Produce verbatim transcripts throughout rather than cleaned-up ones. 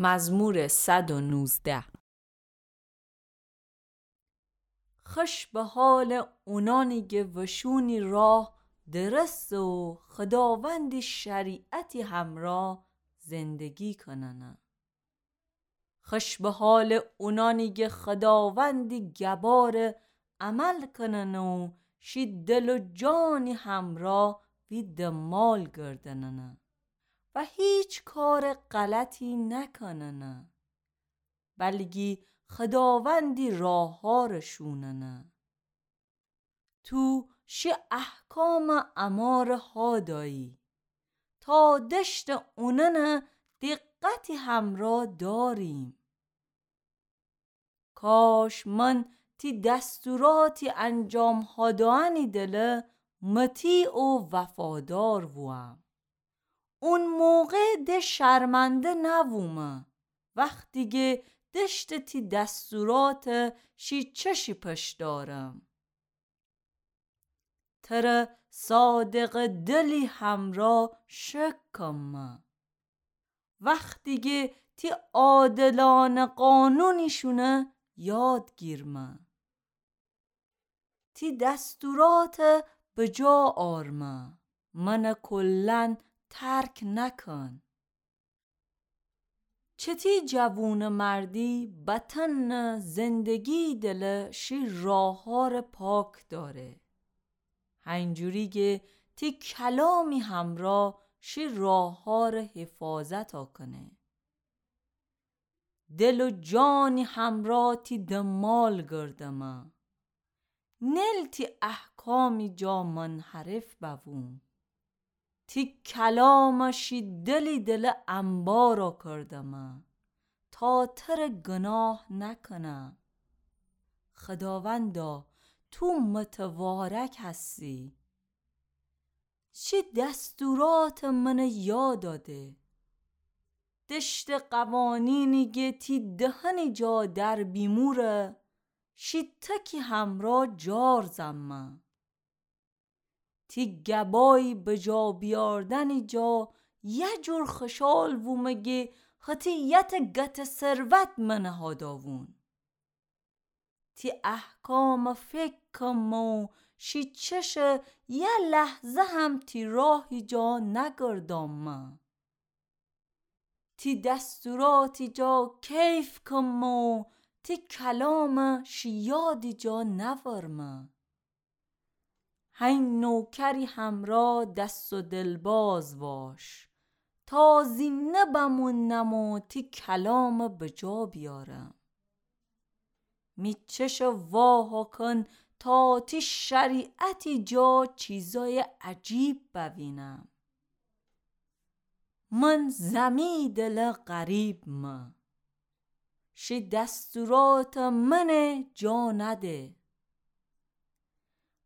مزمور صد و نوزده. خوش به حالٚ اونانی گه وشونی راه درسته و خوداوندی شریعتی همرا زندگی کننه. خوش به حالٚ اونانی گه خوداوندی گبارٚ عمل کننه و شی دل و جانی همرا وی دنبال گردننه و هیچ کارٚ غلطی نکننه، بلگی خوداوندی راهارٚ شوننه. تو شی احکامٚ امارٚ هادایی، تا دشتٚ اوننه دقتی همرا داریم. کاش من تی دستوراتی انجام هادوئنی دله مطیع و وفادار ووم. اون موقع ده شرمنده نوومه، وختی گه دشتٚ تی دستورات شی چشی پش دارم. تره صادقٚ دلی همرا شک کمه، وختی گه تی عادلانه قانونی شونه یاد گیرمه. تی دستورات بجا آرمه، من کلا ترک نکن. چتی جوونٚ مردی بطنٚ زندگی دله شی راهار پاک داره، هینجوری گه تی کلامی همرا شی راهار حفاظت کنه. دل و جانی همرا تی دنبال گردمه، نیل تی احکامی جا منحرف بووم. تی کلام شی دلی دل انبار کردمه، تا تره گناه نکنم. خداوندا، تو متوارک هستی. شی دستورات من یاد آده. دشت قوانینی گه تی دهنی جا در بیموره، شی تکی همرا جار زمه. تی گبای بجا بیاردنی جا یه جور خشال وومه گه هتی یت گت ثروت من هاداوون. تی احکام فکر کم و شی چش یه لحظه هم تی راهی جا نگردامه. تی دستوراتی جا کیف کم و تی کلام شی یادی جا نورمه. هی نوکری همرا دست و دل باز واش، تا زینده بمونم و تی کلام بجا بیارم. می چش واه کن تا تی شریعتی جا چیزای عجیب بوینم. من زمی دل غریب مه. شی دستورات من جا نده.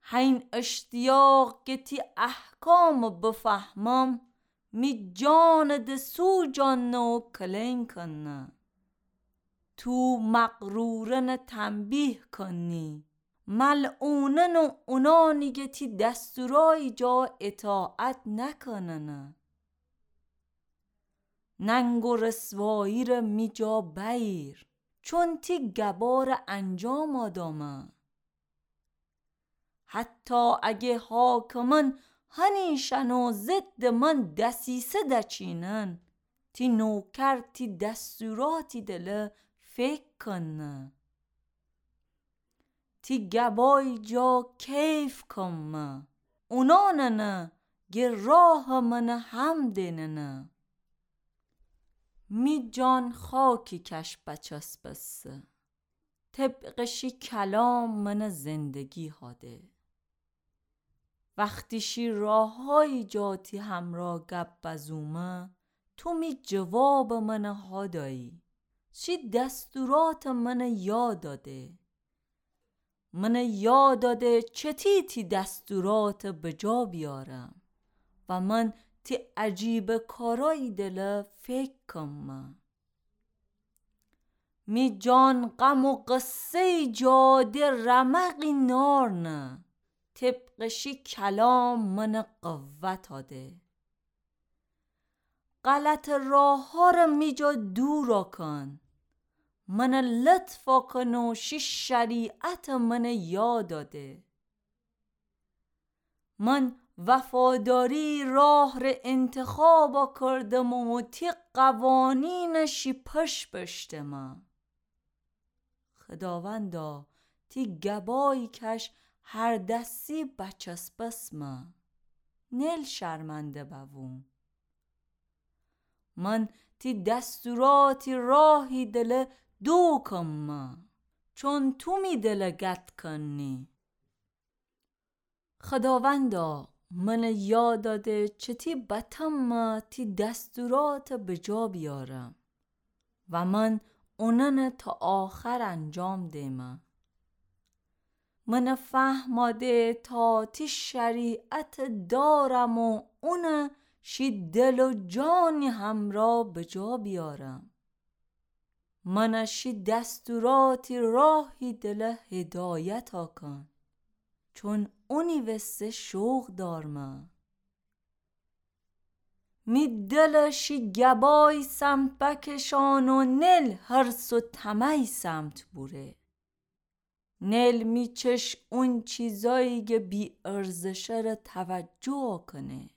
هین اشتیاق که تی احکام بفهمم، می جان د سوجان و کلین کنه. تو مغرورن تنبیه کنی، ملعونن و اونانی که تی دستورای جا اطاعت نکننه. ننگ و رسوایی ره می جا بأییر، چون تی گبار انجام آدامه. حتی اگه حاکمن هنیشن و ضد من دسیسه دچینن، تی نوکر تی دستوراتی دله فکر کنه. تی گبای جا کیف کمه، اوناننه گه راه من هم دیننه. می جان خاکی کش بچسبسه، طبق شی کلام من زندگی هاده. وختی شی راهایی جا تی همرا گپ بزومه، تو می جواب من هادایی. شی دستورات من یاد آده. من یاد آده چتی تی دستورات بجا بیارم و من تی عجیب کارایی دله فکر کمه. می جان غم و غصه‌ی جا د رمقی نارنه، طبق شی کلام من قوت آده. غلطٚ راه‌هارٚ می جا دورَ کن. منَ لطفَ کن و شی شریعتَ منَ یادَ ده. من وفاداری‌یٚ راه ره انتخابَ کردم و تی قوانینَ شی پشت بشتمه. خداوندا، تی گبایٚ کش هر دسی بچسبسمه. نیل شرمنده بوم. من تی دستوراتی راهی دله دوکمه، چون تو می دله گت کنی. خداوندا، منَ یادَ ده چتی بتمه تی دستوراته بجا بیارم و من اونَنَ تا آخر انجام دیمه. منَ فهمَ ده تا تی شریعتَ دارم و اونَ شی دل و جانٚ همرأ بجا بیارم. منَ شی دستوراتی راهی دله هدایتَ کن، چون اونی وسه شوق دارمه. می دلَ شی گبایٚ سمت بکشان و نیل حرص و طمعٚ سمت بوره. نیل می چشم اون چیزایی گه بی‌ارزشٚ ره توجه کنه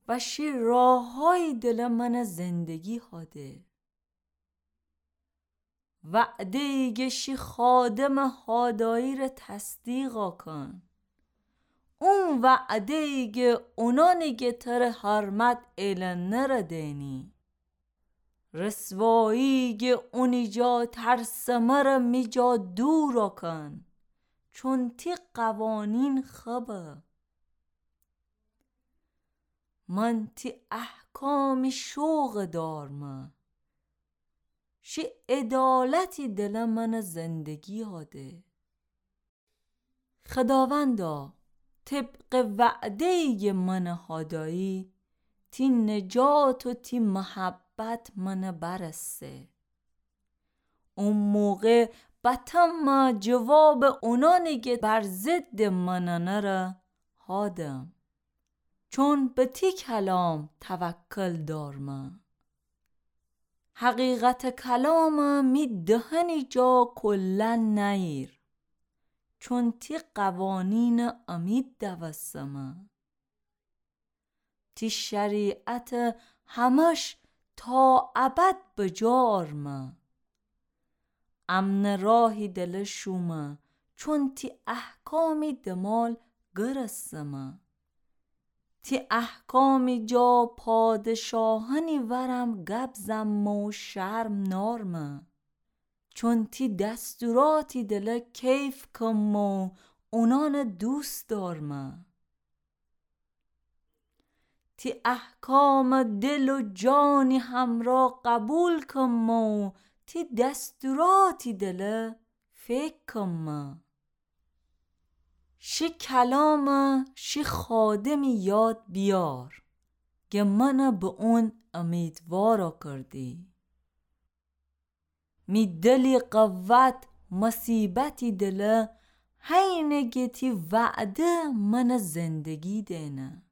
و شی راه‌هایی دله منَ زندگی هاده. وعده‌یی گه شی خادمٚ هادایی ره تصدیقَ کن. اون وعده‌یی گه اونانی گه تره حرمت ایلنه ره دینی. رسوایی گه اونی جا ترسمه ره می جا دورَ کن، چون تی قوانین خبه. من تی احکامی شوق دارمه. شی عدالتی دله منَ زندگی هاده. خداوندا، طبقٚ وعده‌یی گه منَ هادایی، تی نجات و تی محبت منَ برسه. او موقع بتمه جوابٚ اونانی گه بر ضدٚ منَ نره هادم. چون به تی کلام توکل دارمه. حقیقتٚ کلامَ می دهنی جا کلا نأییر، چون تی قوانینَ امید دوستمه. تی شریعتَ همش تا ابد بجا آرمه. امنٚ راهی دله شومه، چون تی احکامی دمال گرستمه. تی احکامی جا پادشاهأنی ورم گب زمه و شرم نارمه. چون تی دستوراتی دله کیف کمه و اونأنَ دوست دارمه. تی احکامَ دل و جانی همرأ قبول کمه و تی دستوراتی دله فکر کمه. شی کلامَ شی خادمی یاد بیار، گه منَ به اون امیدوارَ کردی. می دلی قوت مصیبتی دله، هینه گه تی وعده منَ زندگی دئنه.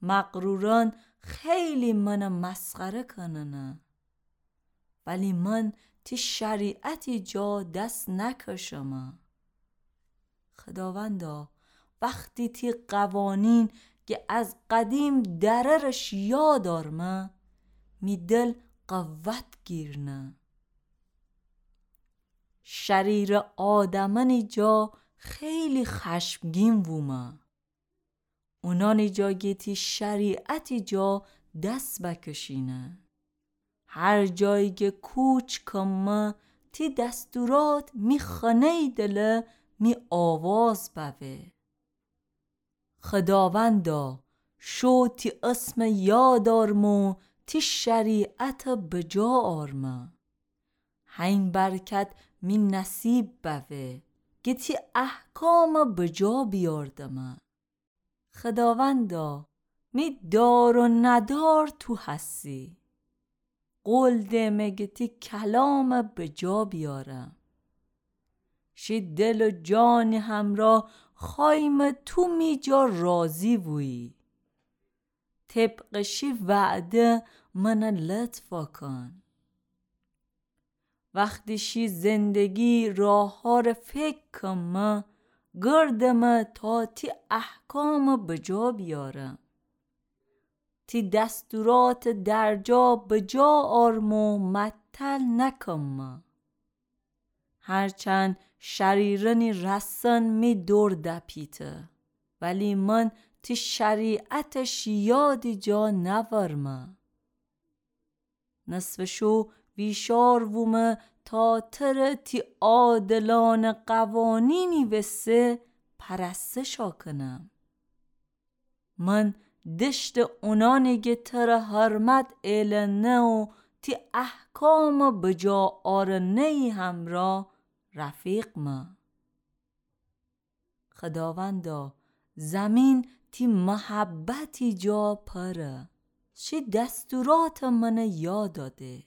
مغرورأن خیلی منَ مسخره کننه، ولی من تی شریعتی جا دس نکشمه. خداوندا، وختی تی قوانین گه از قدیم دررش یاد آرمه، می دل قوت گیرنه. شریرٚ آدمأنی جا خیلی خشمگین وومه. اونأنی جا گه تی شریعتی جا دس بکشینه. هر جایی گه کوچ کمه، تی دستورات می خنه‌یی دله می آواز بوه. خداوندا، شو تی اسمَ یاد آرمه و تی شریعتَ بجا آرمه. هین برکت می نصیب بوه، گه تی احکامَ بجا بیاردمه. خداوندا، می دار و ندار تو هستی. قول دئمه گه تی کلامَ بجا بیارم. شی دل و جانی همرأ خوأیمه تو می جا راضی بویی. طبق شی وعده منه لطف کن. وختی شی زندگی راهارٚ فکر کمه، گردمه تا تی احکامه بجا بیارم. تی دستوراتٚ درجا بجا آرم و معطل نکمه. هرچند شریرأنی رسن می دور دپیته، ولی من تی شریعتٚ شیادی جا نورمه. نصفٚ شو ویشار وومه تا تره تی عادلانه قوانینی وسه پرستشا کنم. من دشتٚ اونانی گه تره حرمت ایلنه و تی احکامٚ بجا آرنه‌یی همرا رفیقمه. خداوندا، زمین تی محبتی جا پره، شی دستوراتٚ منه یاد ده.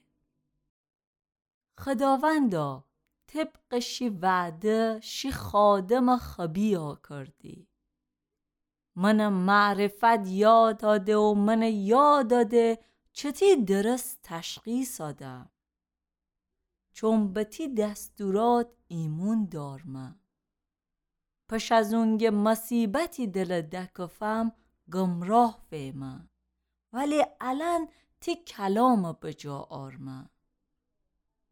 خداوندا، طبقٚ شی وعده شی خادمٚ خبی آکردی. منه معرفت یاد ده و منه یاد ده چتی درست تشخیص دم. چون به تی دستورات ایمون دارمه. پش از اونگه مصیبتی دله دکفم، گمراه ویمه. ولی الأن تی کلامه بجا آرمه.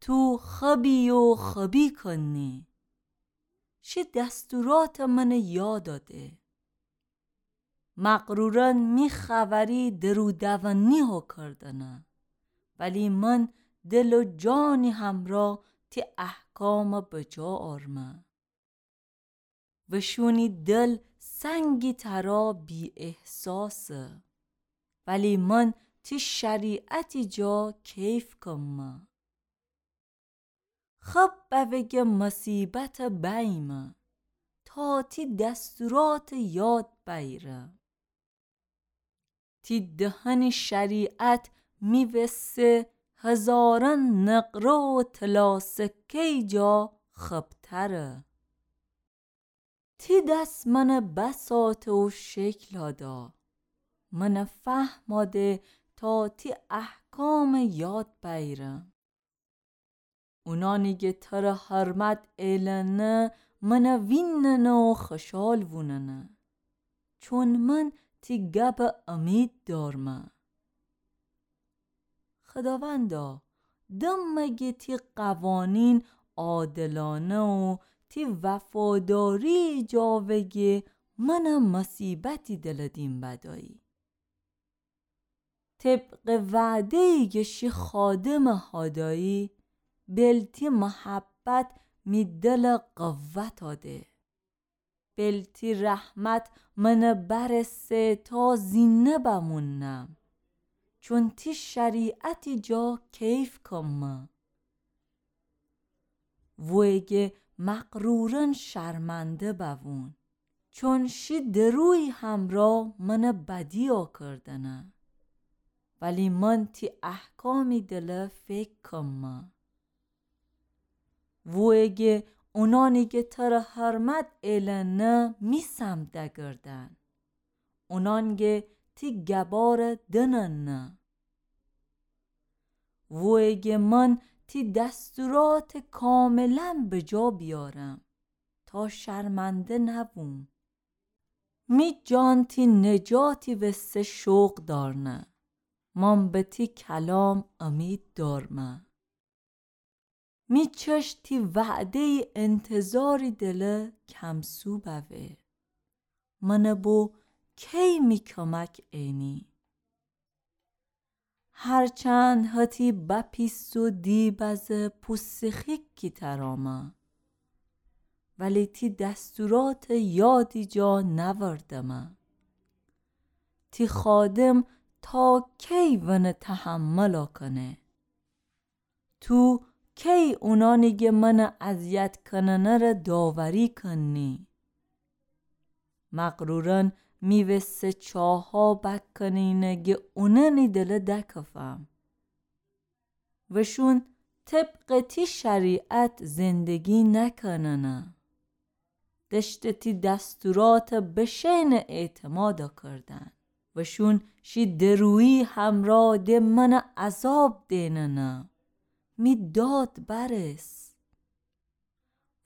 تو خبی و خبی کنی. شی دستوراتٚ منه یاد ده. مغرورأن می خوأری درو دونی هوکردنه، ولی من دل و جانی همرا تی احکامٚ بجا آرمه. وشونی دل سنگی ترا بی‌احساسه، ولی من تی شریعتی جا کیف کمه. خب بوگه مصیبتٚ بیمه، تا تی دستوراتٚ یاد بیره. تی دهنی شریعت می وسه هزارأن نقره و طلا سکه‌یی جا خبتره. تی دس منه بساطه و شکل دا، منه فهم ده تا تی احکامٚ یاد بیرم. اونانی گه تره حرمت ایلنه، منه ویننه و خوشال ووننه، چون من تی گبه امید دارمه. خداوندا، دمه گه تی قوانین عادلانه و تی وفاداری جا وگه منه مصیبتی دله دیم بدایی. طبقٚ وعده‌یی گه شی خادمٚ هادایی، بل تی محبت می دله قوت ده. بل تی رحمت منه برسه تا زینده بمونم، چون تی شریعتی جا کیف کمه. وویه گه مغرورأن شرمنده بوون، چون شی درویی همرا منه بدی آکردنه، ولی من تی احکامی دله فکر کمه. وویه گه اونانی گه تره حرمت ایلنه می سمت دگردن، اونان گه تی گباره دننه. وویه گه من تی دستورات کاملا بجا بیارم، تا شرمنده نووم. می جان تی نجاتی وسه شوق دارنه، من به تی کلام امید دارمه. می چشم تی وعده‌یی انتظاری دله کمسو بوه. منه بو کی می کمک اینی؟ هرچند هتی بپیس و دی بزه پوستی خیکی ترامه، ولی تی دستورات یادی جا نوردمه. تی خادم تا کی ونه تحمل کنه؟ تو کی اونانی گه منه اذیت کننه ره داوری کنی؟ مغروران می وسه چاها بکنینه گه اونانی دله دکفم. وشون طبق تی شریعت زندگی نکننه. دشته تی دستورات بشینه اعتماد کردن. وشون شی درویی همرأ د من عذاب دئننه، می داد برس.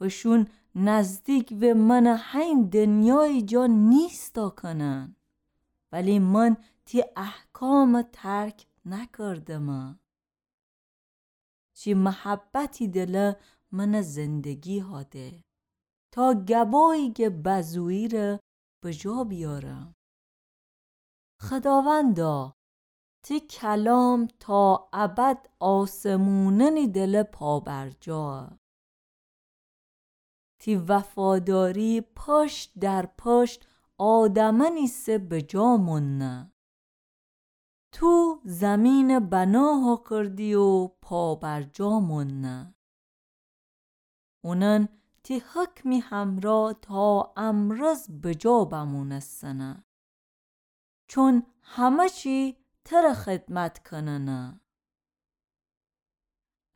وشون نزدیک و من حین دنیایی جا نیستا کنن، ولی من تی احکام ترک نکردمه. چی محبتی دله من زندگی هاده، تا گبایی که بزویی ره بجا بیارم. خداوندا، تی کلام تا ابد آسمونانی دله پابرجا. تی وفاداری پشت در پشت آدمانی سه بجا موننه. تو زمین بنا ها کردی و پابرجا موننه. اونن تی حکمی همرأ تا امروز بجا بمونستنه. چون همه چی تره خدمت کننه.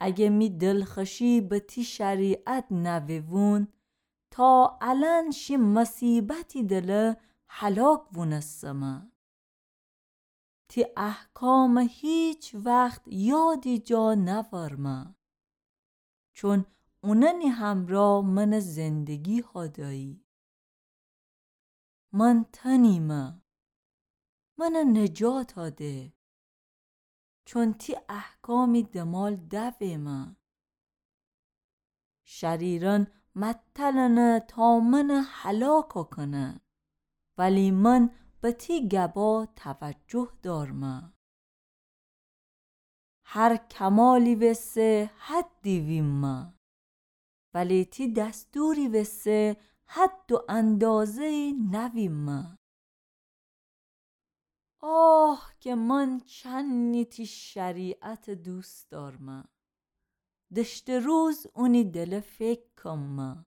اگه می دلخوشی به تی شریعت نویون، تا الأن شی مصیبتی دله هلاک وونستمه. تی احکام هیچ وخت یادی جا نورمه، چون اوننی همرأ من زندگی هادایی. من تنیمه، من نجات هاده، چون تی احکامی دمال دویمه. شریرأن متلنه تا من هلاک کنه، ولی من به تی گبا توجه دارمه. هر کمالی وسه حدی ویمه، ولی تی دستوری وسه حد و اندازه‌ای نویمه. آه که من چنی تی شریعت دوست دارمه. دشته روز اونی دله فکر کمه.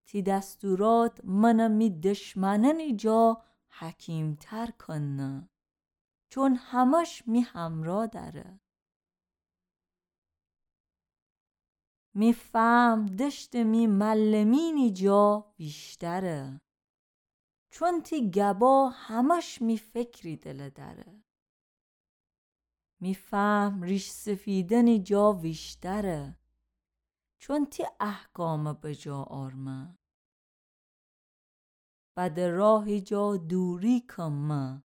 تی دستورات من می دشمنأنی جا حکیم‌تر کنه، چون همش می همرأ دأره. می فهم دشت می معلمینی جا ویشتره، چون تی گبا همش می فکری دله دأره. می فهم ریش سفیدأنی جا ویشتره، چون تی احکام بجا آرمه. بد راهی جا دوری کمه،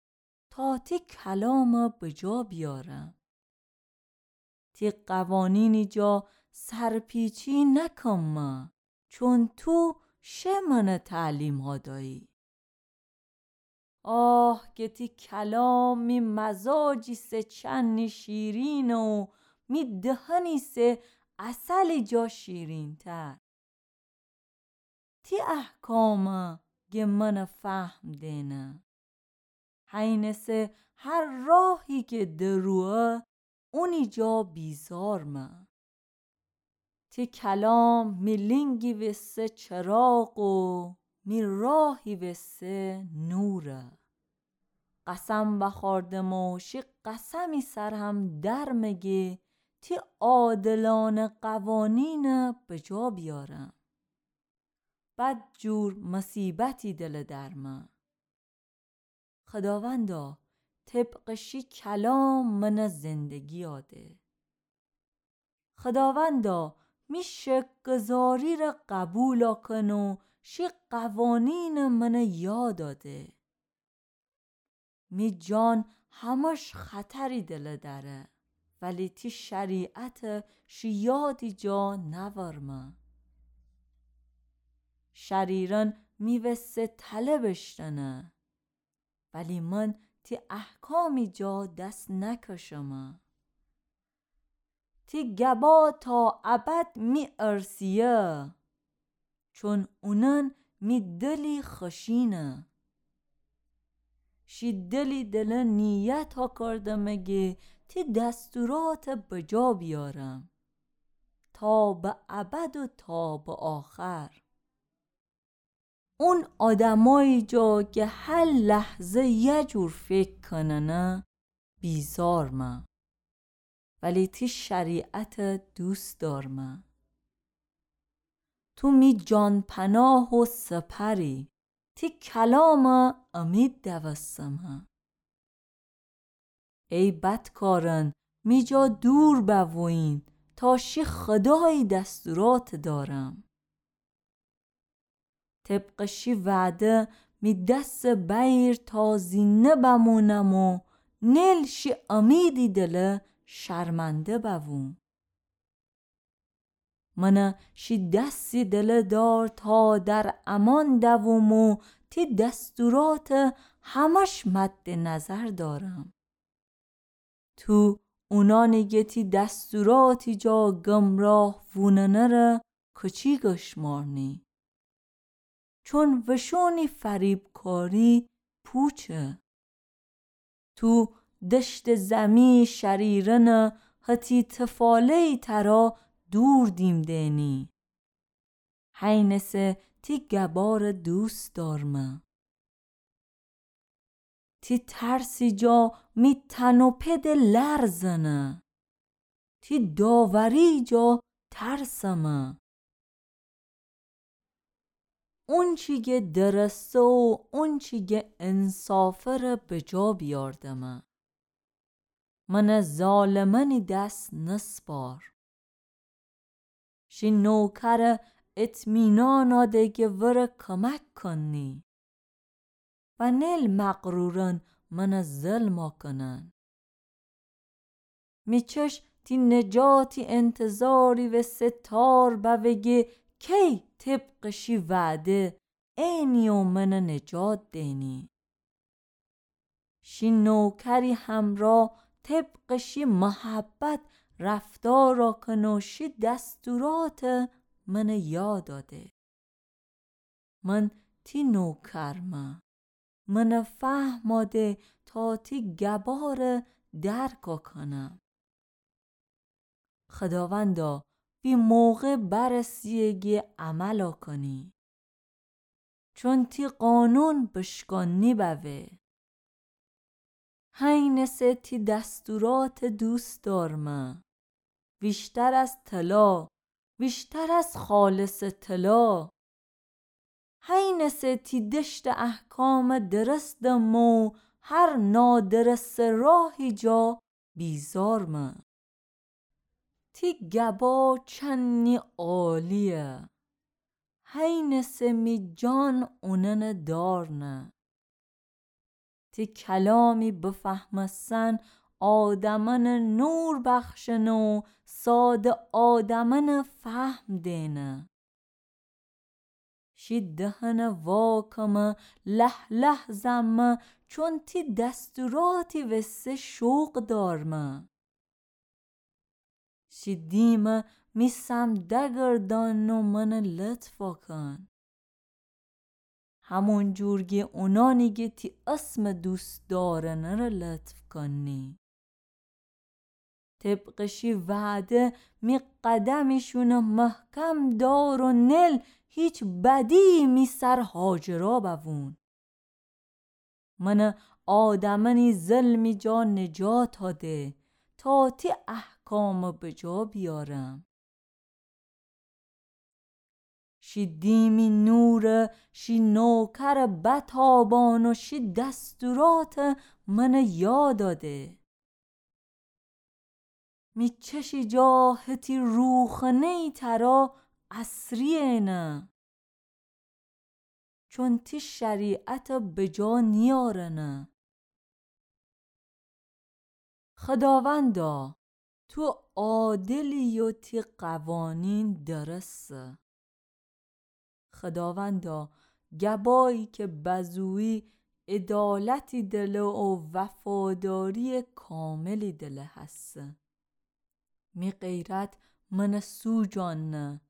تا تی کلام بجا بیارم. تی قوانینی جا سرپیچی نکمه، چون تو شه من تعلیم هادایی. آه که تی کلام می مزاجی سه چنی شیرینه و می دهنی سه عسلی جا شیرین‌تر. تی احکامه گه من فهم دینه. هینه سه هر راهی که دروه، اونی جا بیزارمه. تی کلام می لینگی وسه چراغ و می راهی وسه نوره. قسم وخوردم و شی قسمی سر هم درمه گه تی عادلانه قوانینه بجا بیارم. بد جور مصیبتی دله درمه. خداوندا، طبق شی کلام من زندگی آده. خداوندا، می شکرگزاری ره قبول کن و شی قوانین من یاد آده. می جان همش خطری دله دأره، ولی تی شریعت شی یادی جا نورمه. شریرأن می وسه تله بشتنه، ولی من تی احکامی جا دس نکشمه. تی گبا تا ابد می ارثیه، چون اونأن می دلی خوشینه. شی دلی دله نیت ها کردمه گه تی دستورات بجا بیارم، تا به ابد و تا به آخر. اون آدمایی جا که هر لحظه یه جور فکر کننه، بیزارمه. ولی تی شریعت دوست دارمه. تو می جان‌پناه و سپری. تی کلامٚ امید دوستمه. ای بدکارأن، می جا دور بوویین، تا شی خودایی دستوراتٚ دارم. طبقٚ شی وعده می دسٚ بأییر تا زینده بمونم و نیل شی امیدی دله شرمنده بووم. من شی دسی دله دار تا در امان دووم و تی دستورات همش مد نظر دارم. تو اونانی گه تی دستوراتی جا گمراه ووننه ره کچی گشمارنی. چون وشونی فریبکاری پوچه. تو دشتٚ زمی شریرنٚ هتی تفاله‌یی ترا دور دیم دئنی. هینسه تی گبارٚ دوست دارمه. تی ترسی جا می تن و پده لرزنه. تی داوری جا ترسمه. اونچی گه درسته و اونچی گه انصافه ره بجا بیاردمه. من ظالمأنی دس نسپار. شی نوکر اطمینانا ده گه وره کمک کنی. و نیل مغرورأن من ظلما کنن. می چشم تی نجاتی انتظاری وسه تار بوه گه کی طبقٚ شی وعده اینی و من نجات دینی. شی نوکری همرا طبقٚ شی محبت رفتارا کنه و شی دستورات من یادا ده. من تی نوکرمه. من فهما ده تا تی گبار درکا کنم. خداوندا، وی موقع برسیه گه عملا کنی. چون تی قانون بشکانی بوه. هینسه تی دستورات دوست دارمه. ویشتر از طلا، ویشتر از خالص طلا. هینسه تی دشت احکام درست دمه و هر نادرست راهی جا بیزارمه. تی گبا چنی عالیه. هینسه می جان اوننه دارنه. تی کلامی بفهمستن آدمأنه نور بخشنه و ساده آدمأنه فهم دینه. شی دهنه واکمه، له‌له‌زمه، چون تی دستوراتی وسه شوق دارمه. شی دیمه می سم دگردان و منه لطفا کن. همون جور گه اونانی گه تی اسم دوست دارنه ره لطف کنی. طبق شی وعده می قدمیشونه محکم دار و نل هیچ بدی می سر هاجرا بوون. من آدمنی ظلمی جا نجاتا ده تا تی احکام بجا بیارم. شی دیمی نور شی نوکر بتابان و شی دستورات من یادا ده. می چشی جا هتی روخنه‌یی ترا اسریینه. چون تی شریعت بجا نیارنه. خداوندا، تو عادلی و تی قوانین درسته. خداوندا، گبایی که بزویی عدالتی دله و وفاداری کاملی دله هسته. می غیرت من سوجاننه،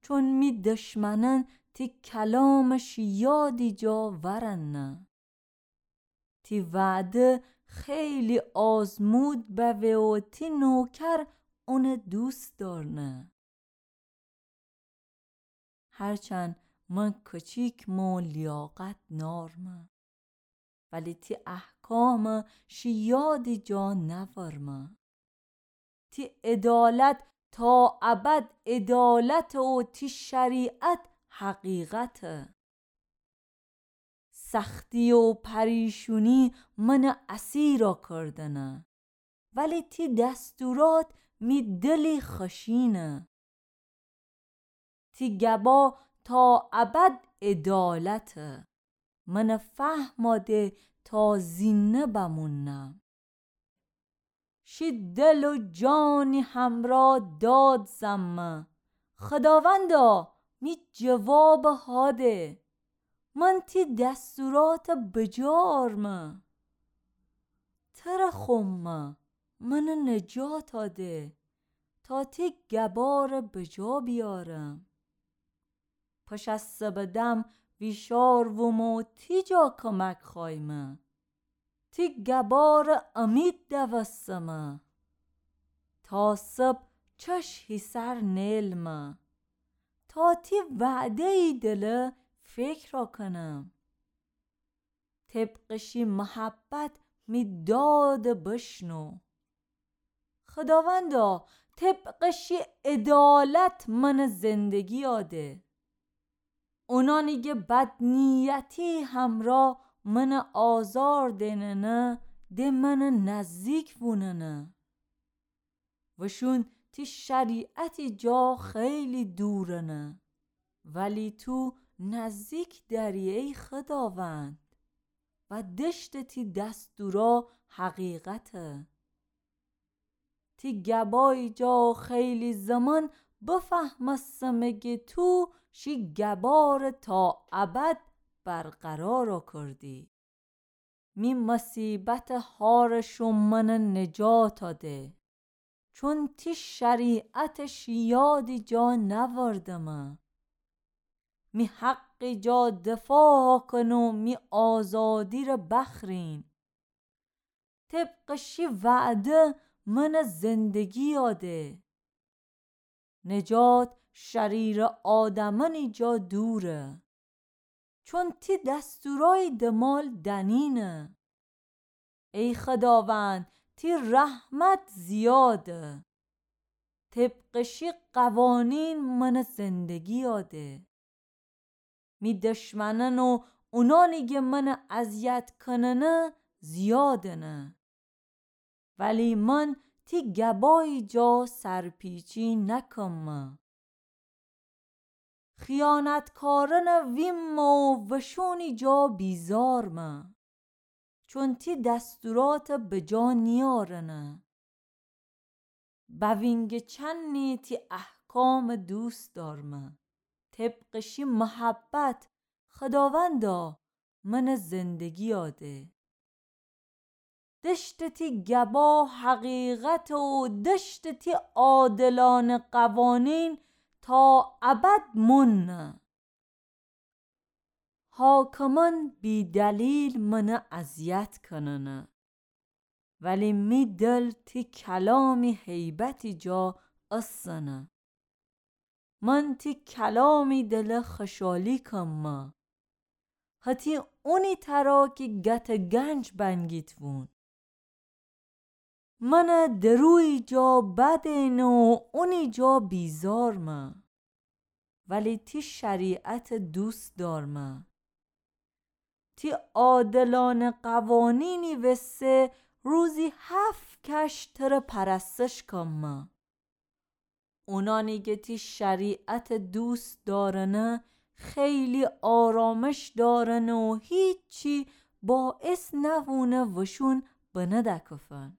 چون می دشمنن تی کلامش یادی جا ورنه. تی وعده خیلی آزمود بوه و تی نوکر اونه دوست دارنه. هرچند من کچیکمه و لیاقت نارمه، ولی تی احکام شی یادی جا نورمه. تی عدالت تا ابد عدالته و تی شریعت حقیقته. سختی و پریشونی منٚ اسیرَ کردنه، ولی تی دستورات می دلی خوشینه. تی گبا تا ابد عدالته، منٚ فهمَ ده تا زینده بمونم. شی دل و جانی همرا داد زمه، خداوندا، می جوابَ هاده. من تی دستوراتَ بجا آرمه. ترَ خومه، منَ نجاتَ ده، تا تی گبارَ بجا بیارم. پشاسه بدم ویشار ومو تی جا کمک خوایمه. تی گبارَ امید دوستمه. تا صبح چش هیسر نیلمه، تا تی وعده‌یی دله فکرَ کنم. طبقٚ شی محبت می دادَ بشنو. خداوندا، طبقٚ شی عدالت منَ زندگیَ ده. اونانی گه بدنیتی همرا منَ آزار دئننه، ده منَ نزدیک ووننه. وشون تی شریعتی جا خیلی دورنه، ولی تو نزدیک دأری ای خداوند، و دشتٚ تی دستورا حقیقته. تی گبایی جا خیلی زمان بفهمستمه گه تو شی گبارَ تا ابد برقرارَ کردی. می مصیبتٚ هارٚ شوم منَ نجاتَ ده، چون تی شریعتٚ شی یادی جا نأوردمه. می حقی جا دفاع کن و می آزادی‌ره بخرین. طبقٚ شی وعده منَ زندگی‌یَ ده. نجات شریرٚ آدمأنی جا دوره، چون تی دستورأی دمال دنینه. ای خداوند، تی رحمت زیاده. طبقٚ شی قوانین منَ زندگی‌یَ ده. می دشمنأن و اونأنی گه منَ اذیت کننه زیادنه، ولی من تی گبأی جا سرپیچی نکمه. خیانتکارأنَ ویمه و وشونی جا بیزارمه، چون تی دستوراتَ بجا نیأرنه. بوینگه چنی تی احکامَ دوست دارمه. طبقٚ شی محبت، خداوندا، منَ زندگی‌یَ ده. دشتٚ تی گبا حقیقته و دشتٚ تی عادلأنه قوانین تا ابد مؤنه. حاکمأن بی‌دلیل منَ اذیت کننه، ولی می دل تی کلامی هیبتی جا اسنه. من تی کلامی دله خوشحالی کمه، هتی اونی ترا کی گتٚ گنج بنگیتوون. منَ درویی جا بدینه و اونی جا بیزارمه، ولی تی شریعتَ دوست دارمه. تی عادلأنه قوانینی وسه روزی هفت کش ترَ پرستش کمه. اونأنی گه تی شریعتَ دوست دارنه، خیلی آرامش دارنه و هیچی باعث نوونه وشون بنه دکفن.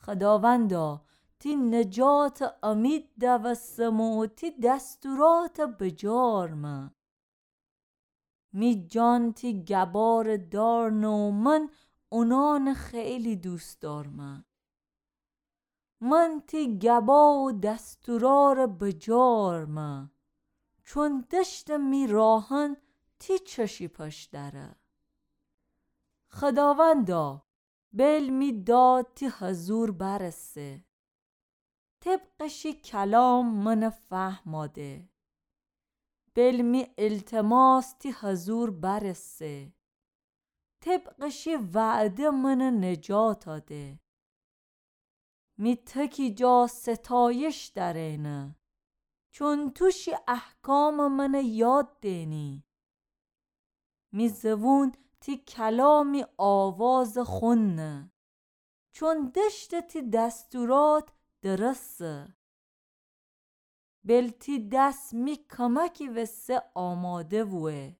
خداوندا، تی نجاتٚ امید دوستمه و تی دستوراتَ بجا آرمه. می جان تی گبارَ دارنه و من اونأنَ خیلی دوست دارمه. من تی گبا و دستورارَ بجا آرمه، چون دشتٚ می راهأن تی چشی پشت دره. خداوندا، بیل می داد تی حضور برسه. طبقٚ شی کلام منَ فهمَ ده. بیل می التماس تی حضور برسه. طبقٚ شی وعده منَ نجاتَ ده. می تکی جا ستایش درینه، چون تو شی احکامَ منَ یاد دینی. می زبون تی کلامی آوازٚ خون نه، چون دشتٚ تی دستورات درسه. بل تی دس می کمکی وسه آماده بوه،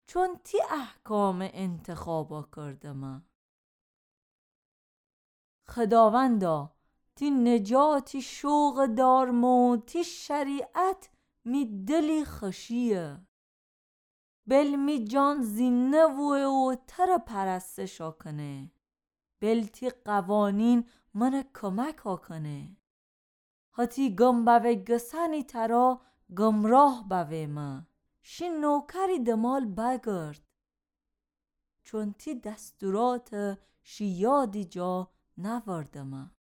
چون تی احکامٚ انتخابا کردمه. خداوندا، تی نجاتی شوقٚ دارمو، تی شریعت می دلی خوشیه. بل می جان زینه بوه و تره پرستشا کنه. بل تی قوانین منه کمکا کنه. هتی گم بوه گسنی ترا گمراه بوهمه، شی نوکری دمال بگرد. چون تی دستورات شی یادی جا نوردمه.